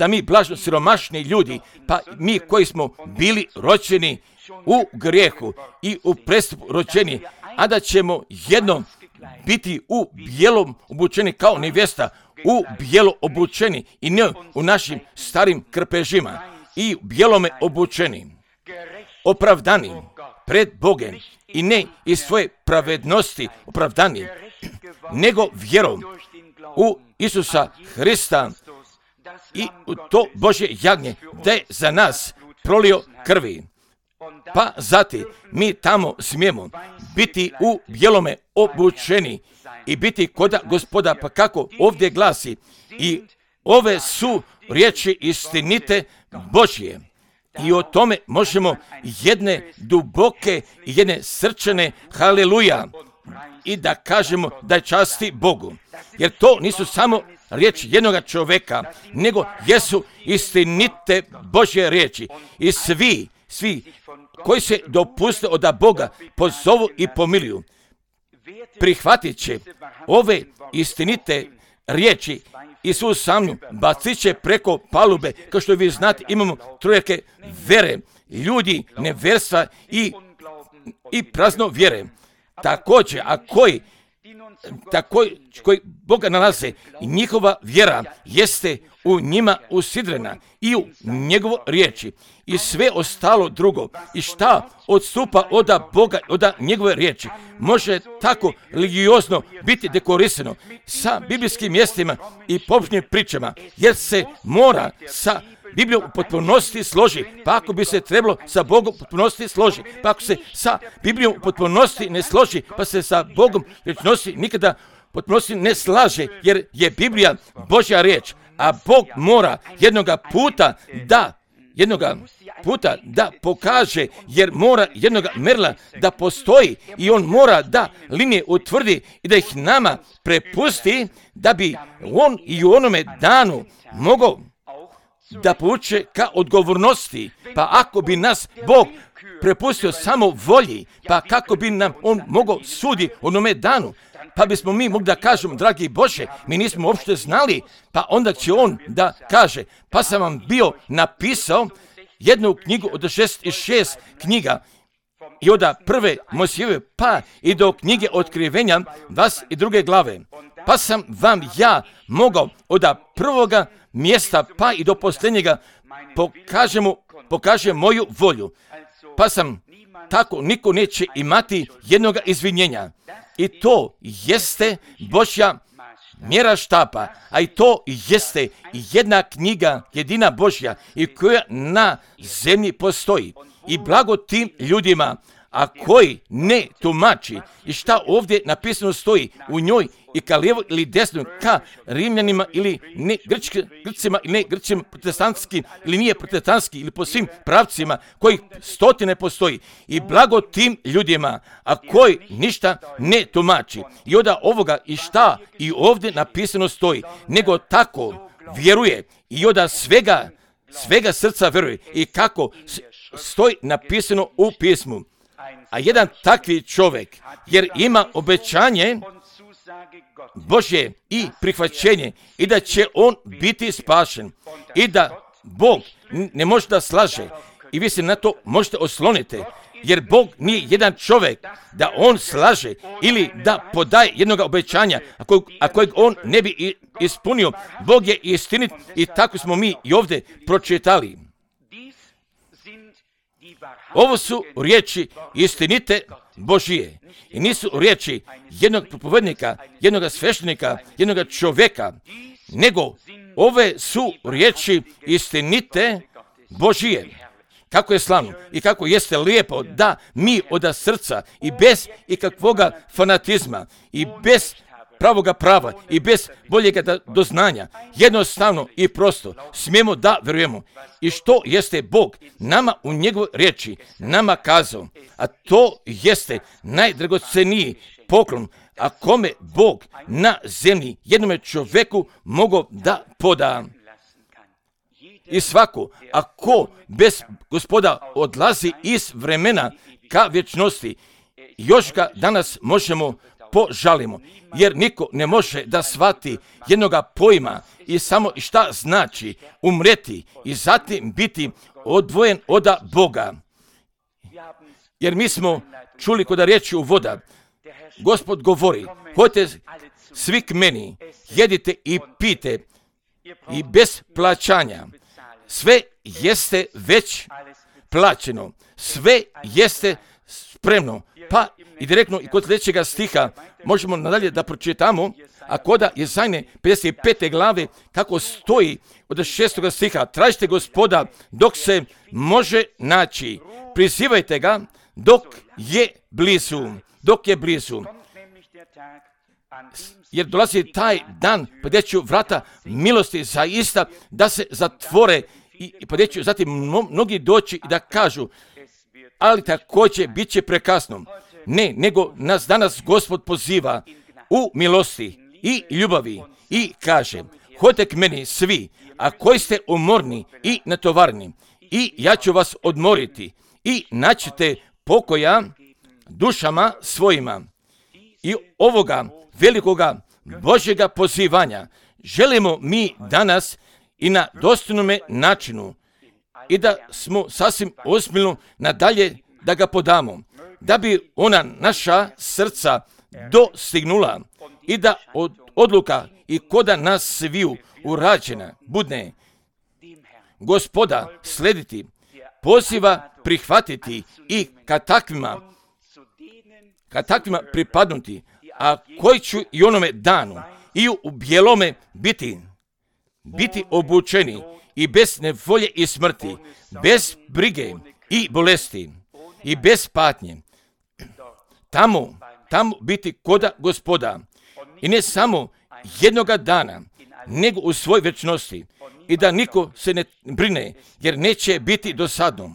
mi blažno siromašni ljudi, pa mi koji smo bili rođeni u grijehu i u prestupu rođeni, a da ćemo jednom biti u bijelom obučeni kao nevjesta, u bijelo obučeni i ne u našim starim krpežima i u bijelome obučeni, opravdani pred Bogem i ne iz svoje pravednosti opravdani, nego vjerom u Isusa Hrista i u to Božje jagnje da je za nas prolio krvi. Pa zatim mi tamo smijemo biti u bijelome obučeni i biti koda Gospoda, pa kako ovdje glasi, i ove su riječi istinite Božje. I o tome možemo jedne duboke i jedne srčane haleluja i da kažemo da je časti Bogu. Jer to nisu samo riječi jednoga čovjeka, nego jesu istinite Božje riječi. I svi koji se dopuste od Boga pozovu i pomiluju, prihvatit će ove istinite riječi i svu samlju bacit će preko palube. Kao što vi znate, imamo trojake vere, ljudi neverstva i prazno vjere. Također, a koji Boga nalaze, njihova vjera jeste u njima usidrena i u njegovo riječi. I sve ostalo drugo, i šta odstupa od Boga, od njegove riječi, može tako religiozno biti dekorisano sa biblijskim mjestima i pobožnim pričama, jer se mora sa Biblijom u potpunosti složi. Pa ako bi se trebalo sa Bogom u potpunosti složi, pa ako se sa Biblijom u potpunosti ne složi, pa se sa Bogom rečnosti nikada u potpunosti ne slaže, jer je Biblija Božja riječ, a Bog mora jednoga puta da pokaže, jer mora jednoga merila da postoji i on mora da linije utvrdi i da ih nama prepusti, da bi on i u onome danu mogao da povuče ka odgovornosti. Pa ako bi nas Bog prepustio samo volji, pa kako bi nam on mogao sudi onome danu? Pa bismo mi mogli da kažemo, dragi Bože, mi nismo uopšte znali, pa onda će on da kaže, pa sam vam bio napisao jednu knjigu od 66 knjiga i od prve Mojsijeve pa i do knjige Otkrivenja 22. glave. Pa sam vam ja mogao od prvoga mjesta pa i do posljednjega pokaže moju volju. Pa sam tako niko neće imati jednoga izvinjenja. I to jeste Božja mjera štapa, a i to jeste jedna knjiga, jedina Božja, i koja na zemlji postoji. I blago tim ljudima, a koji ne tumači i šta ovdje napisano stoji u njoj i ka lijevo ili desno, ka Rimljanima ili ne Grcima ili ne Grcima, protestantski ili nije protestantski, ili po svim pravcima kojih stotine postoji. I blago tim ljudima, a koji ništa ne tumači i od ovoga i šta i ovdje napisano stoji, nego tako vjeruje i od svega srca vjeruje i kako stoji napisano u pismu. A jedan takvi čovjek, jer ima obećanje Božje i prihvaćenje i da će on biti spašen i da Bog ne može da slaže i vi se na to možete osloniti, jer Bog nije jedan čovjek da on slaže ili da podaje jednog obećanja, a kojeg on ne bi ispunio. Bog je istinit i tako smo mi i ovdje pročitali. Ovo su riječi istinite Božije i nisu riječi jednog propovednika, jednog sveštenika, jednog čovjeka, nego ove su riječi istinite Božije. Kako je slavno i kako jeste lijepo da mi od srca i bez ikakvoga fanatizma i bez pravoga prava i bez boljega doznanja, jednostavno i prosto smijemo da vjerujemo i što jeste Bog nama u njegovoj riječi nama kazao, a to jeste najdragoceniji poklon, a kome Bog na zemlji jednome čovjeku mogao da poda. I svako, ako bez Gospoda odlazi iz vremena ka vječnosti, još ga danas možemo požalimo, jer niko ne može da shvati jednoga pojma i samo šta znači umreti i zatim biti odvojen od Boga. Jer mi smo čuli kod riječi u voda, Gospod govori, hodite svi k meni, jedite i pijte i bez plaćanja. Sve jeste već plaćeno, sve jeste spremno. Pa i direktno i kod sljedećega stiha možemo nadalje da pročitamo, a koda Jezajne 55. glave kako stoji od 6. stiha, tražite Gospoda dok se može naći, prizivajte ga dok je blizu. jer dolazi taj dan gdje će vrata milosti zaista da se zatvore i gdje će zatim mnogi doći i da kažu, ali također bit će prekasno. Ne, nego nas danas Gospod poziva u milosti i ljubavi i kaže, hodite k meni svi, a koji ste umorni i natovarni, i ja ću vas odmoriti i naćete pokoja dušama svojima. I ovoga velikoga Božjega pozivanja želimo mi danas i na dostojnome načinu i da smo sasvim ozbiljno nadalje da ga podamo, da bi ona naša srca dostignula i da odluka i koda nas sviju urađena budne Gospoda slediti, poziva prihvatiti i kad takvima pripadnuti, a koji ću i onome danu i u bijelome biti obučeni i bez nevolje i smrti, bez brige i bolesti i bez patnje. Tamo biti koda Gospoda i ne samo jednoga dana, nego u svoj večnosti i da niko se ne brine, jer neće biti dosadno.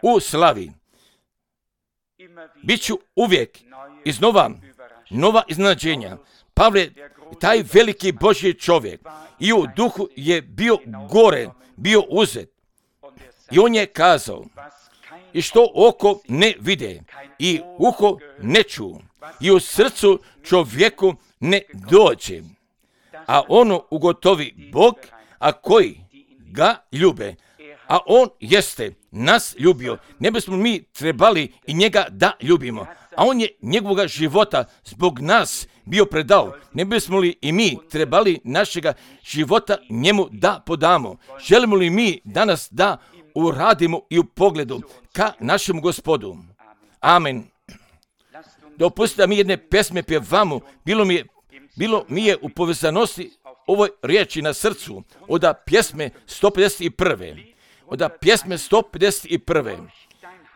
U slavi bit ću uvijek iznova nova iznenađenja. Pavle, taj veliki Božji čovjek, i u duhu je bio gore, bio uzet. I on je kazao, i što oko ne vide, i uho ne ču, i u srcu čovjeku ne dođe, a ono ugotovi Bog, a koji ga ljube. A on jeste nas ljubio, ne bismo mi trebali i njega da ljubimo. A on je njegovoga života zbog nas bio predao. Ne bismo li i mi trebali našega života njemu da podamo? Želimo li mi danas da uradimo i u pogledu ka našemu Gospodu? Amen. Dopustite da mi jedne pesme pjevamo. Bilo mi je u povezanosti ovoj riječi na srcu od pjesme 151. Od pjesme 151.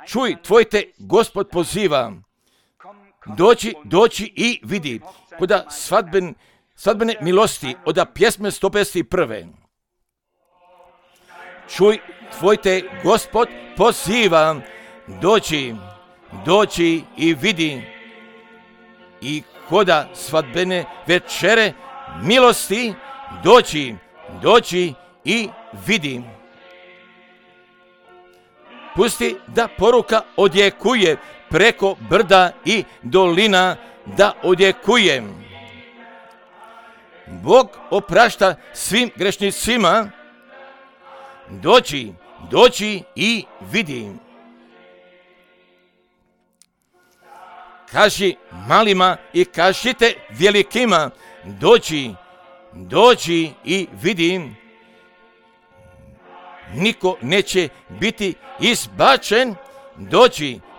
Čuj, tvoj te Gospod poziva. Doći i vidi. Kod svadbene milosti od pjesme 151. Čuj, tvoj te Gospod poziva. Doći i vidi. I koda svadbene večere milosti doći i vidi. Pusti da poruka odjekuje preko brda i dolina, da odjekuje. Bog oprašta svim grešnicima. Doći i vidi. Kaži malima i kažite velikima, doći i vidi. Niko neće biti izbačen,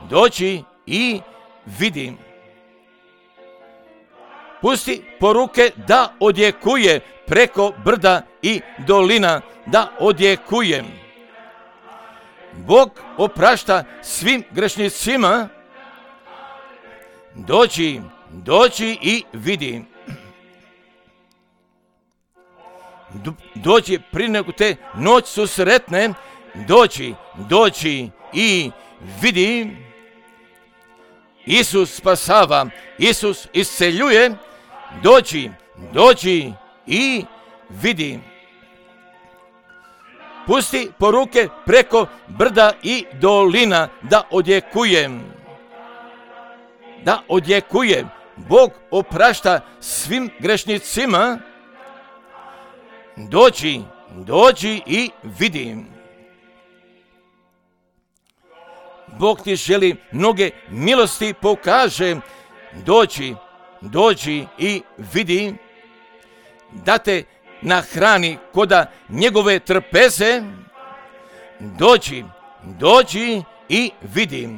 doći i vidi. Pusti poruke da odjekuje preko brda i dolina, da odjekuje. Bog oprašta svim grešnicima. Doći i vidi. Doći prije nego te noć susretne, doći i vidi. Isus spasava, Isus isceljuje, doći i vidi. Pusti poruke preko brda i dolina, da odjekuje. Bog oprašta svim grešnicima. Doći i vidi. Bog ti želi mnoge milosti pokaže. Doći i vidi. Da te nahrani koda njegove trpeze. Doći i vidi.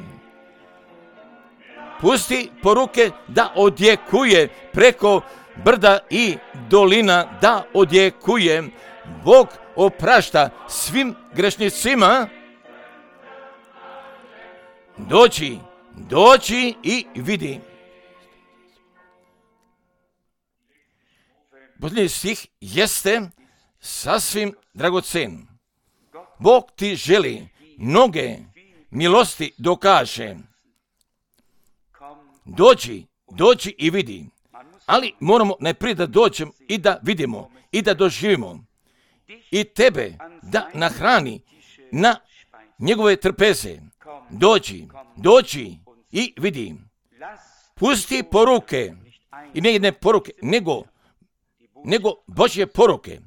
Pusti poruke da odjekuje preko brda i dolina, da odjekuje. Bog oprašta svim grešnicima. Doći i vidi. posljednji stih jeste sasvim dragocen. Bog ti želi mnoge milosti dokaže. Dođi i vidi. Ali moramo najprije da dođemo i da vidimo i da doživimo. I tebe da nahrani na njegove trpeze. Dođi i vidi. Pusti poruke. I ne jedne poruke, nego Božje poruke.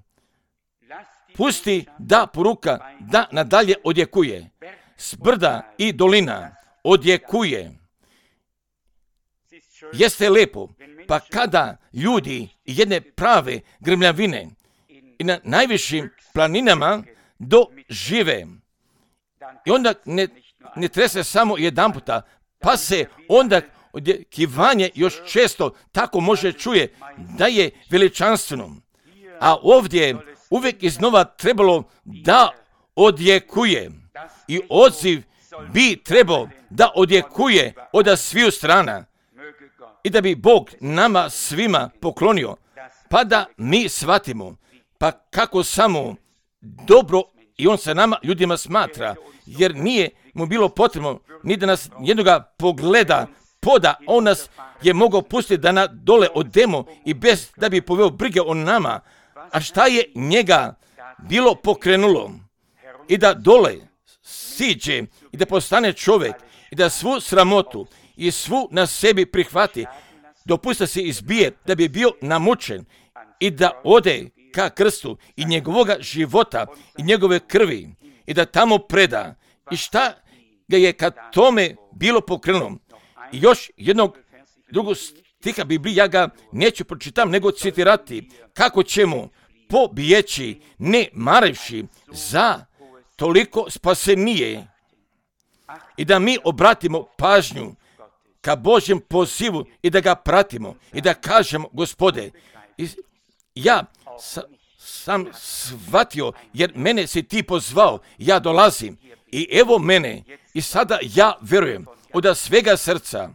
Pusti da poruka da nadalje odjekuje. S brda i dolina odjekuje. Jeste lepo, pa kada ljudi jedne prave grmljavine i na najvišim planinama dožive, i onda ne trese samo jedan puta, pa se onda odjekivanje još često tako može čuje da je veličanstveno. A ovdje uvijek iznova trebalo da odjekuje. I odziv bi trebao da odjekuje od sviju strana. I da bi Bog nama svima poklonio, pa da mi shvatimo, pa kako samo dobro i on se nama ljudima smatra, jer nije mu bilo potrebno ni da nas jednoga pogleda poda, on nas je mogao pustiti da na dole odemo i bez da bi poveo brige o nama. A šta je njega bilo pokrenulo? I da dole siđe i da postane čovjek i da svu sramotu i svu na sebi prihvati, dopusta se izbije da bi bio namučen i da ode ka krstu i njegovoga života i njegove krvi i da tamo preda. I šta ga je kad tome bilo pokrenulo? I još drugog stiha Biblije, ja ga neću pročitam, nego citirati, kako ćemo pobjeći ne marivši za toliko spasenije i da mi obratimo pažnju ka Božjem pozivu i da ga pratimo i da kažemo, Gospode, ja sam shvatio jer mene si ti pozvao, ja dolazim i evo mene i sada ja verujem od svega srca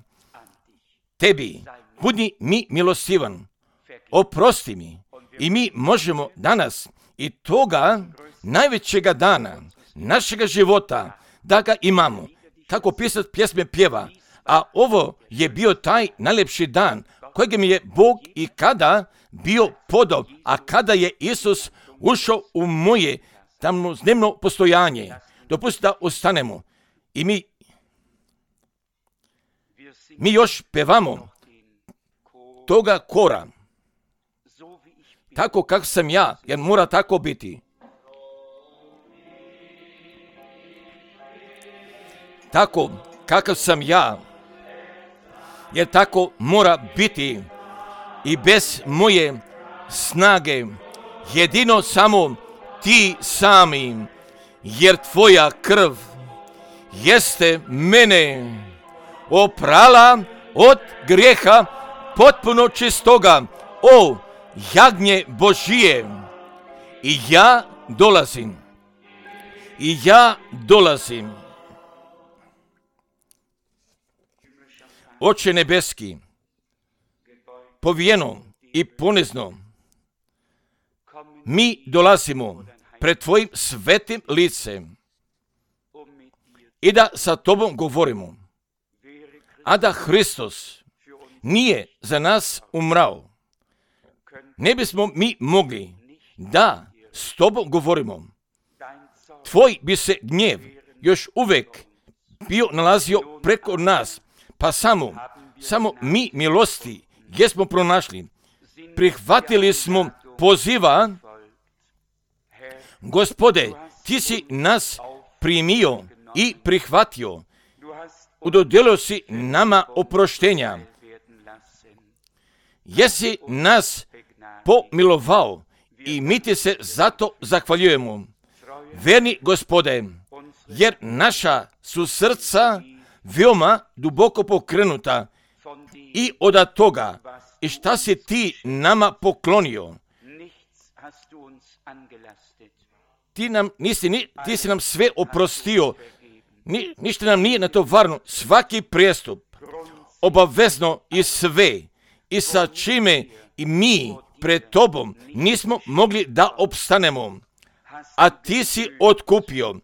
tebi, budi mi milostivan, oprosti mi i mi možemo danas i toga najvećega dana našega života da ga imamo. Tako pisat pjesme pjeva, a ovo je bio taj najljepši dan kojeg mi je Bog i kada bio podao, a kada je Isus ušao u moje tamnodnevno postojanje. Dopustite da ostanemo i mi još pevamo toga kora. Tako kako sam ja, jer mora tako biti. Tako kakav sam ja, jer tako mora biti i bez moje snage, jedino samo ti sami, jer tvoja krv jeste mene oprala od grijeha potpuno čistoga, o jagnje Božije. I ja dolazim. Oče nebeski, povijeno i ponizno, mi dolazimo pred tvojim svetim licem i da sa tobom govorimo. A da Hristos nije za nas umrao, ne bismo mi mogli da s tobom govorimo. Tvoj bi se gnjev još uvijek bio nalazio preko nas, pa samo mi milosti jesmo pronašli. Prihvatili smo poziva. Gospode, ti si nas primio i prihvatio. Udodijelio si nama oproštenja. Jesi nas pomilovao i mi ti se zato zahvaljujemo. Verni Gospode, jer naša su srca veoma duboko pokrenuta i od toga i šta si ti nama poklonio. Ti si nam sve oprostio, ništa nam nije natovarno, svaki prijestup, obavezno i sve, i sa čime i mi pred tobom nismo mogli da opstanemo, a ti si otkupio.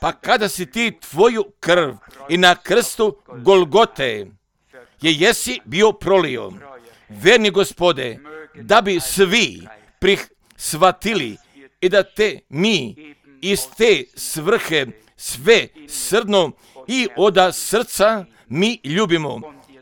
Pa kada si ti tvoju krv i na krstu Golgote jesi bio prolio, verni Gospode, da bi svi shvatili i da te mi iz te svrhe sve srdno i od srca mi ljubimo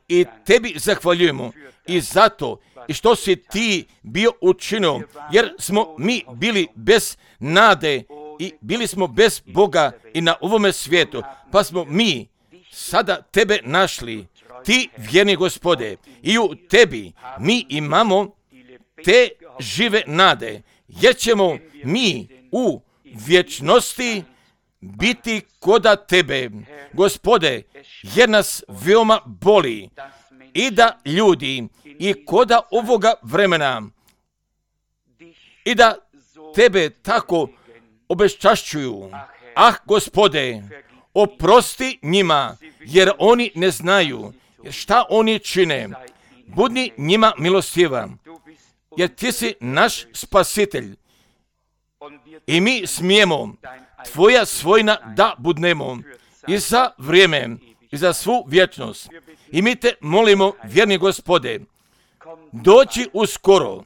i tebi zahvaljujemo i zato i što si ti bio učinio, jer smo mi bili bez nade i bili smo bez Boga i na ovome svijetu, pa smo mi sada tebe našli, ti vjerni Gospode, i u tebi mi imamo te žive nade, jer ćemo mi u vječnosti biti koda tebe, Gospode, jer nas veoma boli i da ljudi i koda ovoga vremena i da tebe tako obeščašćuju. Gospode, oprosti njima, jer oni ne znaju šta oni čine. Budi njima milostivan, jer ti si naš spasitelj i mi smijemo tvoja svojina da budnemo i za vrijeme i za svu vječnost. I mi te molimo, vjerni Gospode, doći uskoro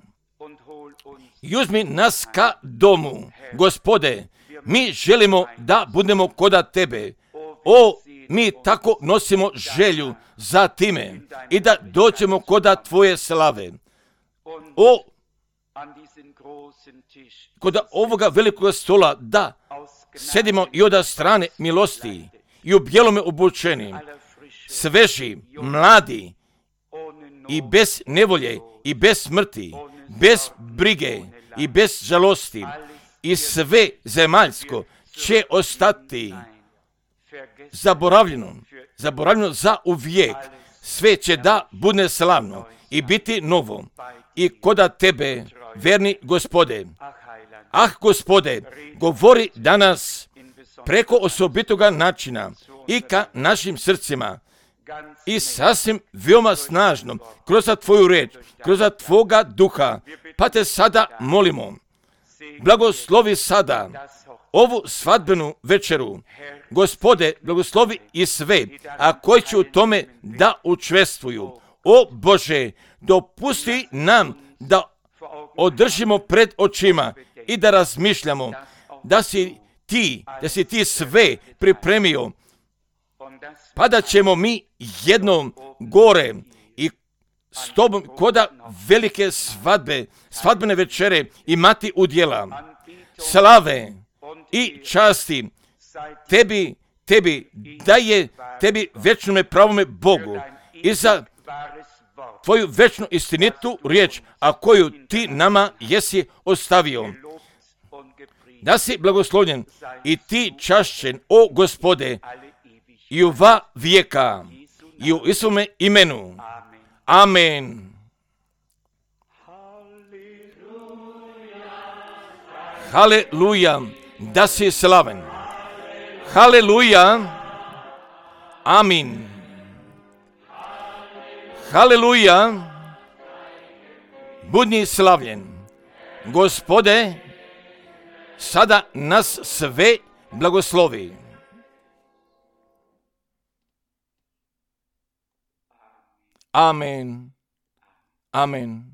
i uzmi nas ka domu. Gospode, mi želimo da budemo koda tebe. Mi tako nosimo želju za time i da doćemo koda tvoje slave. Koda ovoga velikog stola da sedimo i od strane milosti i u bijelome obučeni, sveži, mladi i bez nevolje i bez smrti, bez brige i bez žalosti, i sve zemaljsko će ostati zaboravljeno za uvijek. Sve će da bude slavno i biti novo i koda tebe, verni Gospode. Gospode, govori danas preko osobitoga načina i ka našim srcima i sasvim veoma snažno kroz tvoju reč, kroz tvoga duha, pa te sada molimo, blagoslovi sada ovu svadbenu večeru. Gospode, blagoslovi i sve, a koji će u tome da učestvuju. Bože, dopusti nam da održimo pred očima i da razmišljamo da si ti sve pripremio, pa da ćemo mi jednom gore i s tobom koda velike svadbene večere imati udjela, slave i časti tebi daje tebi večnome pravome Bogu i za tvoju večnu istinitu riječ, a koju ti nama jesi ostavio. Da si blagoslovljen i ti čašćen, Gospode, i u va vijeka, i u Isuvome imenu. Amen. Haleluja, da si slaven. Haleluja. Amin. Haleluja. Budi slavljen. Gospode, sada nas sve blagoslovi. Amen. Amen.